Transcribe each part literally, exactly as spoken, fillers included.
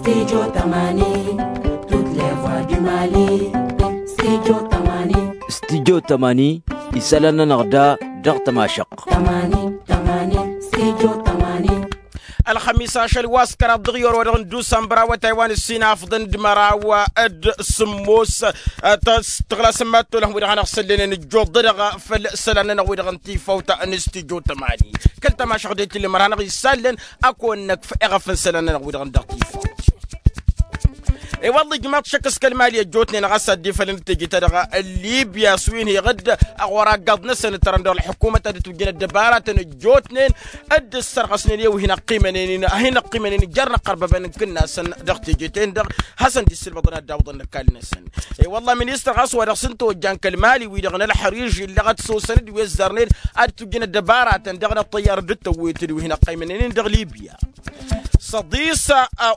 Studio tămani, toutes les voix du mali. Studio tămani. Studio tămani, isălan-nănăɣ da dăɣ-tămašăɣt. Tămani, tămani, studio tămani. Ălxămis ašăl wa s-kăraḍ dăɣ-iyor wa dăɣ-n dusămbăr awătay wa n-ǝssin afḍăn d-măraw d-sǝmmos. Tăɣlasăm ma t-olăhăm wi-dăɣ hanăɣ-săllănen ǝjjuḍ-dăɣ făll-isălan-nănăɣ wi-dăɣ n-tifawt n-studio tămani. Kăl-tămašăɣ de tǝlli măra hanăɣ-isallăn ad-kăwăn-năkf eɣăf n-isălan-nănăɣ wi-dăɣ n-dăɣ-tifawt. I-wălla ijmaḍ šăkk s-kăl-mali ăjjootnen ɣas ad-dd-ifălăn d-teje-ta-dăɣ n-libya s-wi n-heɣ-dd ăɣora aggaḍ-năsăn ǝttărăn dăɣ-ălḥukumăt ad-ǝtwǝjjăn ăddăbaratăn ăjjootnen dd-ǝssărɣăsnen i-wi hin-ăqqimănen hin-ăqqimănen jer-inăqqărbăbăn n-kǝnnasăn dăɣ-teje-ten-dăɣ. Hasăn-dd-issǝlmăḍăn ad-dd-awǝḍăn n-ăkall-năsăn. I-wălla ministăr ɣas wa dăɣ-s n-tawăjja n-kăl-mali-wi-dăɣ n-ălxăriž illăɣăt s-osăn-dd wi ăzzarnen ad-ǝtwǝjjăn ăddăbaratăn dăɣ-inăṭṭăyyar dd-tăwwet d-wi hin-ăqqimănen dăɣ-libya. Săḍis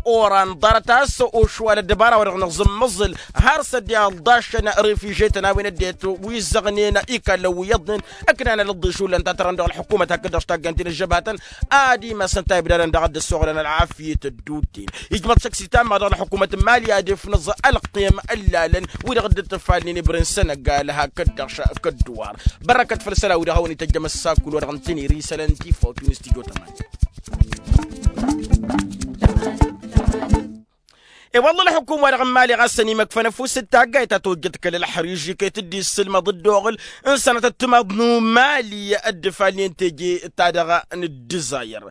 oran ḍarăt a-s ošwal ăddăbara wa dăɣ-năẓǝmmăẓǝl har s-ăddi ălḍašăn refiže-tăn a-wen ăddinăt wi ǝzzăɣnen ikallăn wi iyyăḍnen ǝknan alăḍḍeš hullan ta tărăn dăɣ-ălḥukumăt hakd-dăɣ s-taggant-in ăžžăbatăn ad-imasăn ta ibdadăn daɣ ad-dd-ăssoɣlăn ălɣafyăt ădduuten. Ijmăḍ šăkk s-itamma dăɣ-ălḥukumăt n-mali ad-ifnǝẓ ălqiyăm ǝllalăn wi-dăɣ dd-ǝtǝfalnen ibrǝn sănăgal hakd-dăɣ šăkk ădduwar. Bărrăkăt făll-isălan-wi-dăɣ a hawăn-ităjjăm ăssakul wa dăɣ-n tǝniri isălan n-tifawt wi n-studio tămani. I-wălla ălḥukum-wa-dăɣ n-mali ɣas ănimăkfăn ăfuss d-taggayt ta tojjăt kăl-ălxăriž iket dd-issǝlmăḍ dd-oɣǝl n-sănătăt timaḍ n-umali dd-ifalnen teje-ta-dăɣ n-ăddǝzayăr.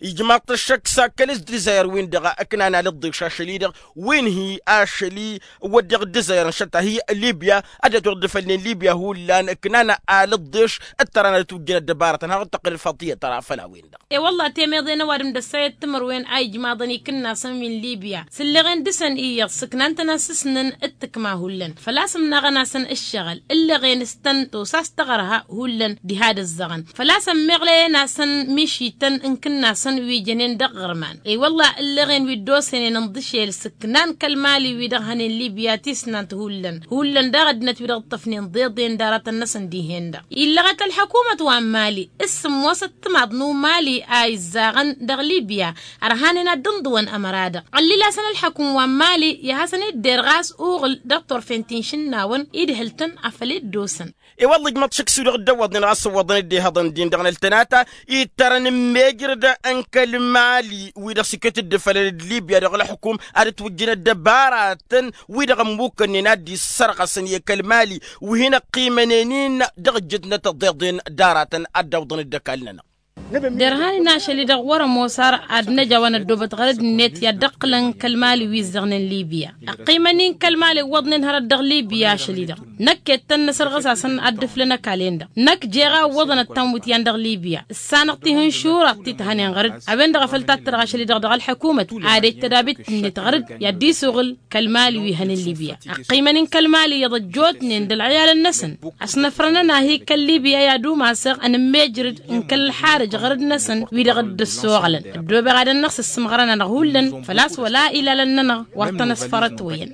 Ijmaḍ-t ăššăk s-akkăl s-ăddǝzayăr-win-dăɣ ǝknan alǝḍḍeš ašăl-i-dăɣ wi n-hi ašăl-i wădden ăddǝzayăr n-šătta hi libya ăddinăt wăr dd-ifălnen libya hullan ǝknan alǝḍḍeš d-tăra n-ad-ătwǝjjǝn ăddăbarătăn har d-tăqqǝl ălfaḍt iyyăt tăra făll-a-wen-dăɣ. I-wălla temeḍe n-ăwadǝm d-ăssayăt timǝrwen a ijmaḍăn ikǝnnasăn wi n-libya s-ǝlleɣen dăr-săn iyyăḍ sǝknan-tăn asǝsnăn d-tǝkma hullan făl-a-s ǝmnaɣăn-asăn ǝššăɣǝl ǝlleɣen s-tăn tosa s-taɣărha hullan diha d-ǝzzăɣăn făl-a-s ămmeɣlăyăn-asăn mišităn n-ikǝnnasăn wi jănen dăɣ-iɣărman. I-wălla ǝlleɣen wi dd-osănen ǝnḍǝšel sǝknan kăl-mali-wi-dăɣ hănen libya tisnant hullan hullan daɣ ăddinăt wi-dăɣ ǝṭṭăfnen ḍeḍen d-aratăn-năsăn dihen-dăɣ illăɣăt ălḥăkumăt wa n-mali s-sǝmmosăt timaḍ n-umali a izzaɣăn dăɣ-libya. Ărhanen ad-dd-ǝnḍǝwăn ămăra-dăɣ ăllil-asăn ălḥăkum wa n-mali i-ad-hasăn-idder ɣas uɣǝl dăɣ-turfen ti n-išǝnnawăn idhǝl-tăn afăl dd-osăn. I-wălla ijmăḍ šăkk s-wi-dăɣ dd-ăwwăḍnen ɣas ǝwwăḍăn dd-ihăḍăn din dăɣ-năltănata ittărăn n-mejrăd n-kăl-mali wi-dăɣ s-iket dd-ifălăn d-libya dăɣ-ălḥukum ad-ǝtwǝjjǝn ăddăbaratăn wi-dăɣ ămmukkănnen ad-dd-issărɣăsăn i-kăl-mali wi hin-ăqqimănen-in dăɣ-ǝjjǝtnăt ăḍeḍen d-aratăn ad-dd-awǝḍăn d-ăkall-nănăɣ. Derhan-in ašăl-i-dăɣ wăr-ămoos ar ad-năj a-wa năddoobăt ɣărăd-net i-ad-dd-ăqqǝlăn kăl-mali wi ǝzzăɣnen libya ăqqimăn-in kăl-mali ǝwwăḍnen hărăt dăɣ-libya ašăl-i-dăɣ. Năkk ettăn n-asărɣǝs-asăn ad-dd-ǝflăn ăkall-en-dăɣ năkk jeɣ a ǝwwăḍăn ăttan wi t-yan dăɣ-libya ǝssanăɣ-t ihǝnšuraḍ ti t-hănen ɣărăd. A-wen-dăɣ a făl tattărăɣ ašăl-i-dăɣ dăɣ-ălḥăkumăt ad-ej tădabit-net ɣărăd i-ad-dd-isuɣǝl kăl-mali wi hănen libya. Ăqqimăn-in kăl-mali iyyăḍ ăjjootnen d-ălɣiyalăn-năsăn ăsnăfrănăn ahi kăl-libya i-ad-umasăɣ ănǝmmejrǝd n-kăl-ălxarǝj ɣărăd-năsăn wi-dăɣ dd-ăssoɣlăn. Ăddoobeɣ ad-ănnăɣ s-ǝssǝmɣărăn-anăɣ hullan făl-a-s wăla ilalăn-nănăɣ wăr tăn-ăsfărătwăyăn.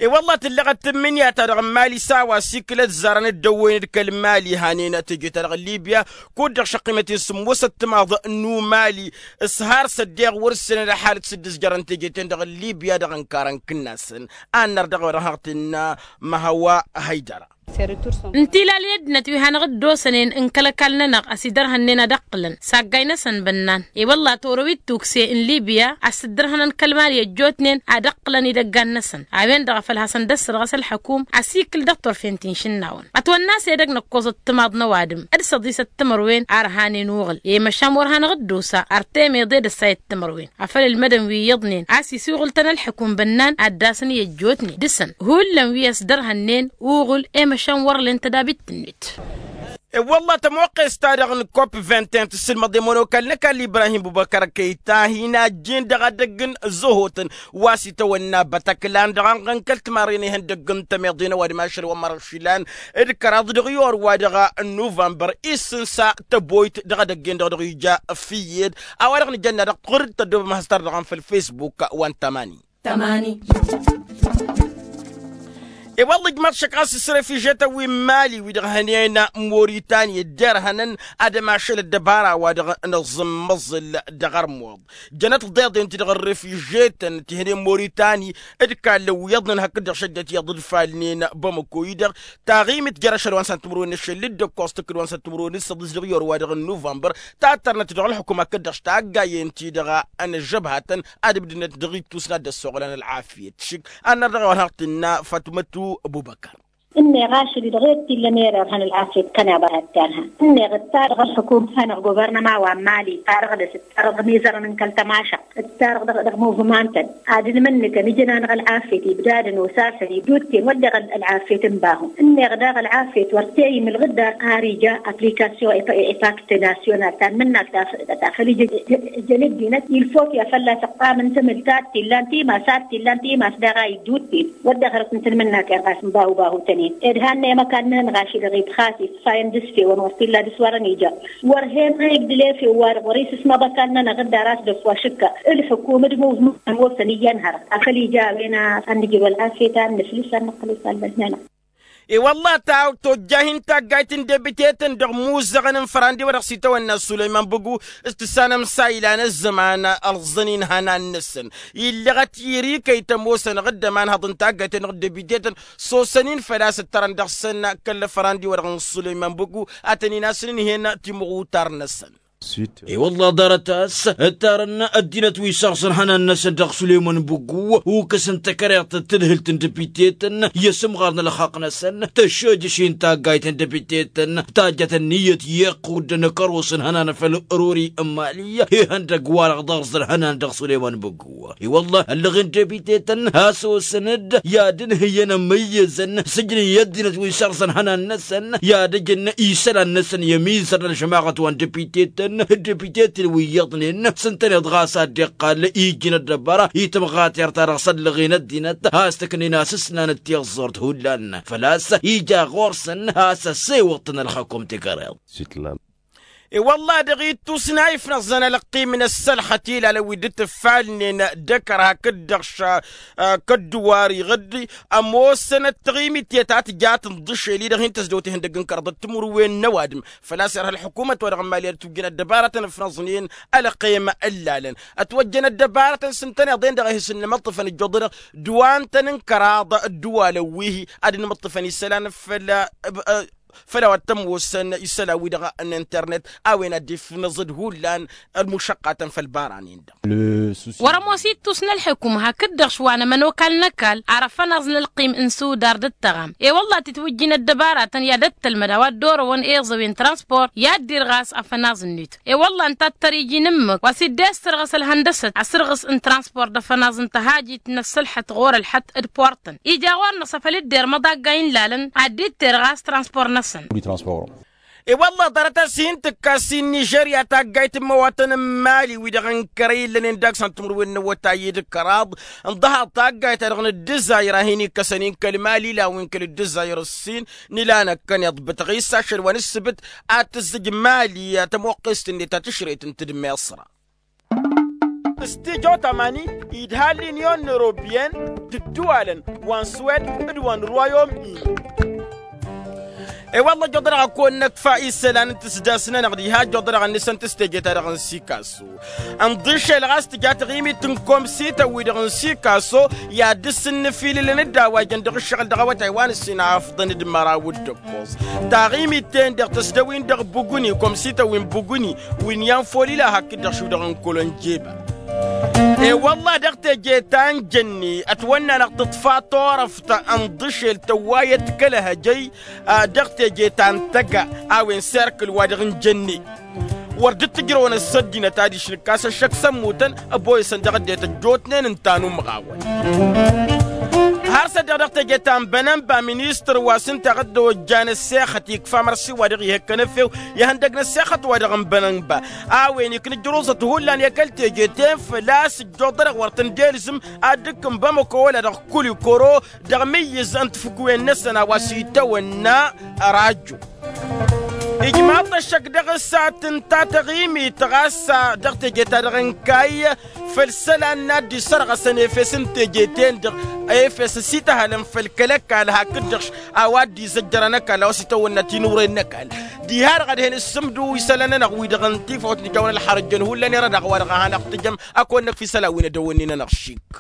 I-wălla tǝllăɣăt tǝmmǝnǝya-ta-dăɣ n-mali s-a-wa s-ikǝl ăzzarăn dd-ăwwăyăn d-kăl-mali hanen teje-ta-dăɣ n-libya. Kud-dăɣ šăqqimăt-in sǝmmosăt timaḍ n-umali s-har s-ăddeɣ wăr-ǝssǝnăn ălḥalăt s-dd-ǝzjărăn teje-ten-dăɣ n-libya dăɣ-ǝnkarăn kǝnnasăn. Ad-năr dăɣ-a-wa dăɣ-hăɣ tǝnna măhăwa hăydăra. N-tilal i-ăddinăt wi hanăɣ-dd-osănen n-kăl-ăkall-nănăɣ ăsidărhănnen ad-ăqqǝlăn s-aggay-năsăn bănnan. I-wălla torăwit tukse n-libya a-s ǝddărhănăn kăl-mali ăjjootnen ad-ăqqǝlăn idăggan-năsăn. A-wen-dăɣ a făl hasăn-dd-ăssărɣăs ălḥăkum ăsikǝl dăɣ-turfen ti n-išǝnnawăn ătwănna s-edăgg năkkoẓăt timaḍ n-ăwadǝm d-săḍisăt timărwen a ărhanen uɣǝl i-măšan wăr hanăɣ-dd-osa ar temeḍe d-ăssayăt timărwen. Afăl ǝlmădăn wi iyyăḍnen a-s isuɣǝl-tăn ălḥăkum bănnan ad-dd-asăn i-ăjjootnen dăr-săn hullan wi ăsdărhănnen uɣǝl i-măšan wăr len tădabit-net. E-wălla tămoqqes-ta-dăɣ n-kop vingt et un tǝssǝlmăḍ i-ămonokalăn ăkall ibrahim bubăkăr kăyta hin-ajjin dăɣ-edăgg n-zăhotăn wa s-itawănna bătăklan dăɣ-anɣăn kăl-timarren ihăndăgg n-tămeḍe n-ăwadǝm ašăl wa n-mărăɣ išilan d-kăraḍ dăɣ-iyor wa dăɣ-nuvănbăr. Isǝnsa tăboyt dăɣ-edăgg-en-dăɣ dăɣ-ija fǝyyed a-wa dăɣ-nǝjănna dăɣ-tɣurǝd tăddoobăm has-tărdăɣăm făll-facebook wa n-tămani. Tămani. I-wălla ǝjmăḍ šăkk ɣas s-refižetăn wi n-mali wi-dăɣ hănen moritani dd-irhănăn ad-ămašăl ăddăbara-wa-dăɣ n-aẓǝmmăẓǝl dăɣ-armuḍ. Jănăt ḍeḍen-ti-dăɣ n-refižetăn ti hănen moritani d-kallăn wi iyyăḍnen hakd-dăɣ šăjjăt iyyăḍ d-falnen bamăko-i-dăɣ. Taɣimit jer-ašăl wa n-săn timǝrwen n-ašăl d-ǝkkoẓ tǝkkǝd wa n-săn timǝrwen n-săḍis dăɣ-iyor-wa-dăɣ n-nuvănbăr. Tattărnăt dăɣ-ălxukum hakd-dăɣ s-taggayyen-ti-dăɣ n-ăžžăbhatăn ad-ǝbdǝnăt dăɣ-ittus n-ad-dd-ăssoɣlan ălɣafyăt šik. Ad-năr dăɣ-a-wen har tǝnna fatmătu ăbubăkăr. Ǝnneɣ ašăl-i-dăɣ i-dd-tillăm ererhăn ălɣafyăt kăneḍ a hăttarhăn ǝnneɣ ǝttarăɣ ălxukum hanăɣ-guvărnăma wa n-mali ǝttarăɣ dăɣ-s ǝttarăɣ mizărăn n-kăl-tămašăɣt ǝttarăɣ dăɣ-muvmantăn ad-ǝlmǝnnǝkăn ǝjǝn-anăɣ ălɣafyăt ibdadăn osasăn ibdudten wădden ălɣafyăt n-bahu. Ǝnneɣ daɣ ălɣafyăt wăr t-e-imǝlɣǝd dar har ija aplikasyon epakt nasyonal ta n-imǝnnak ta făl ija ǝjăn ăddinăt ilfok i-ad-fălla-s ǝqqamăn tamǝlt ta t-illan timas ta t-illan timas daɣ a iddut-ten. Wădden hărăt n-tǝlmǝnnak ed ɣas n-bahu-bahu-tăn-in ed hannăyăm ăkall-nănăɣ ašăl-i-dăɣ ibxas ifayăn d-asfewăn wăr t-illa dăr-s wărăn ija. Wăr hen-ăyǝgdǝl efew-wa-dăɣ wăr-isǝsmăḍ ăkall-nănăɣ dd-ara a-s dăf-wa šǝkka ǝlxǝkum d-muvmăn ămoosăn iyyăn hărăt afăl ija a-wen a ănnǝjrǝw ălɣafyăt a ănnǝflǝs a ănnăqqǝl isallăn-nănăɣ. I-wălla ta tojjah-in taggayt n-debitetăn dăɣ-imuzăɣăn n-fărandi wa dăɣ-s itawănna sulăyman bǝgu s-tǝssanăm s-a ilan ăzzăman ărẓăn-in ihănan-năsăn. Illăɣăt irikăy tămoosăn ɣǝddăm anhăḍ n-taggayt-en-dăɣ d-debitetăn s-osăn-in făl-a-s ǝttărăn dăɣ-săn kăl-fărandi wa dăɣ-n sulăyman bǝgu ad-tăn-in-asǝn ǝnhen timɣutar-năsăn. I-wălla ḍarăt a-s ǝttarăn ăddinăt wi săɣsăn ihănan-năsăn dăɣ-sulăyman bǝgu ukǝs n-takăreḍt d-tadhǝlt n-debitetăn i-asǝmɣar n-ălxaqq-năsăn. Tăššojăš-in taggayt n-debitetăn tajjăt ǝnniyăt i-iqqud n-kăros n-ihănan făll-ruri n-mali. Ihăndăgg-wa-dăɣ ḍarẓ ălhănan dăɣ-sulăyman bǝgu i-wălla ăllăɣen debitetăn a-s osăn-dd i-ad-ǝnhǝyăn ămmăyyăzăn s-ǝjnen i-ăddinăt wi sărsăn ihănan-năsăn i-ad-ǝjǝn isălan-năsăn i-ămizăr n-ălžămaɣăt wa n-debitetăn. Dd-debitetăn wi iyyăḍnen s-ǝntăneḍ ɣas ad-dd-iqqal ijǝn ăddăbăra i-tămɣatert-ta-dăɣ s-ăllăɣen ăddinăt a-s tǝknen asǝsnan d-tiẓẓurt hullan făl-a-s ija ɣur-săn a-s ăssewăḍ-tăn ălxăkum tikăreḍt. I-wălla-hi dăɣ-ittus n-a ifnăẓăn ălqim n-ăssălxăt ilalăn wi dd-tǝffalnen d-ăkăr hakd-dăɣ šăkk ăddǝwar iɣǝddi ămoosăn ăttăɣimit i-ta tǝja tǝnḍǝšel-i-dăɣ hin-tăzdăwt ihăndăgg n-kăraḍ d-timǝrwen n-ăwadǝm. Făl-a-s irha ălḥukumăt wa dăɣ-n mali ad-ătwǝjjǝn ăddăbarătăn ǝfnăẓnen ălqim ǝllalăn ătwăjjăn ăddăbarătăn s-ǝntăneḍ-en-dăɣ a hi-s ǝnnǝmǝṭṭǝfăn ǝjjuḍ-dăɣ d-wa ǝntăn n-kăraḍ ǝddǝwalăn wi-hi ad-ǝnmǝṭṭǝfăn isălan făll-făll-a-wa t-ămoosăn isălan-wi-dăɣ n-internet a-wen ad-dd-ifnăẓăd hullan ălmušăqqatăn făll-ibaran-in-dăɣ. Wăr-ămoos ittus n-ălḥǝkum hakd-dăɣ šwa n-ămănokal n-ăkall ar ăfănaẓ n-ălqim n-sudar d-ăttăɣam. E-wălla-hi tǝtwǝjjin ăddăbaratăn i-ad-ăttălmăd a-wa dd-orăwăn eẓăwen transport i-ad-dd-irɣas afănaẓ-net. E-wălla-hi ǝnta a t-tăr-iji n-ǝmmǝk wa s-dd-e-s tărɣǝs ălhăndăsăt asǝrɣǝs n-transport d-afănaẓ n-tăhajit n-ăssălxăt ɣur-ălxăt d-port. Ija ɣur-năsăn făl dd-irmăḍ aggay n-ilalăn ad-dd-iterɣas transpor-năsăn. I-wălla-hi ḍarăt a-s hin-tǝkkas i-nižerya taggayt n-imăwatăn n-mali wi-dăɣ n-kăre illănen daɣ s-ăntǝmǝrwen n-awătay i-dd-kăraḍ n-ḍăhaḍ taggayt-ta-dăɣ n-ǝddǝzayr a hin-ikkăsăn-in kăl-mali ilan wi n-kăl-ǝddǝzayr ǝssin n-ilan ăkkăneḍ bǝtăɣ-i s-ašăl wa n-ǝssǝbǝt ad-tǝzzǝj mali tămoqqest-net ta tǝšrăyt n-tǝdmeṣra. S-tijo tamani idha l-inyon n-europiyăn d-ǝddǝwalăn wa n-swed d-wa n-rwayom-in. E-wălla ăjjoḍ-dăɣ ad-kăwăn-năkfa isălan n-tǝsdas-nănăɣ diha ăjjoḍ-dăɣ ad-nǝsăn tǝsteje-ta-dăɣ n-sikaso. Ǝnḍǝšel ɣas tǝja taɣimit n-komsităn-wi-dăɣ n-sikaso i-ad-dd-sǝnnǝfilǝlăn d-a-wa ijăn dăɣ-ǝššăɣǝl dăɣ-awătay wa n-ǝssin afḍăn d-măraw d-ǝkkoẓ. Taɣimit-ten-dăɣ tăsdăwin dăɣ-buguni komsităn wi n-buguni wi n-iyan folila hakd-dăɣ šudăɣ n-kălănjeba. E-wălla-hi dăɣ-teje ta n-jănne ătwănn'-anăɣ tǝḍfa turăft ǝnḍǝšel tăwwayăt kăl-ehăjăy. Dăɣ-teje ta n-tăga a-wen serkǝl wa dăɣ-n jănne wăr dd-tǝjrăwăn ăssăddinăt adiš nǝkkas ăššăk s-ămmutăn ăboyăsăn dăɣ-ăddinăt ăjjootnen ǝnta n-umɣawăn. Har s-ăddeɣ dăɣ-teje ta n-bănănba ministăr wa s-ǝnta a dd-ojjan ăssexăt ikfa mărsi wa dăɣ-ih' ǝkkăn efew i-ihăndăg n-ăssexăt wa dăɣ-n bănănba a-wen ikna ǝjruẓăt hullan i-kăl-teje-ten făl-a-s ǝjjuḍ-dăɣ wăr tăn-dd-ilzǝm ad-dd-ǝkkǝn bamăko wăla dăɣ-kulikoro dăɣ-imǝyyǝz n-tafǝkwen-năsăn a-wa s-itawănna. Rajo. Ijmaḍ-t ăššăk dăɣ-s a tǝnta taɣimit ɣas dăɣ-teje-ta-dăɣ n-kayy făll-isălan n-ad-dd-isărɣăsăn efes n-teje-ten-dăɣ efes s-ităhălăn făll-kăl-ăkall hakd-dăɣ a-wa dd-izăjjărăn ăkall a-wa s-itawănna tinǝwre n-ăkall. Diha-dăɣ ad-hin-ǝssǝmdu isălan-nănăɣ-wi-dăɣ n-tifawt n-kăwăn-ălxărăjjăn hullan irăd-aɣ wa-dăɣ a hanăɣ-tǝjăm. Ăkk wănnăk fi isălan wi n-edăwănni-nănăɣ šik.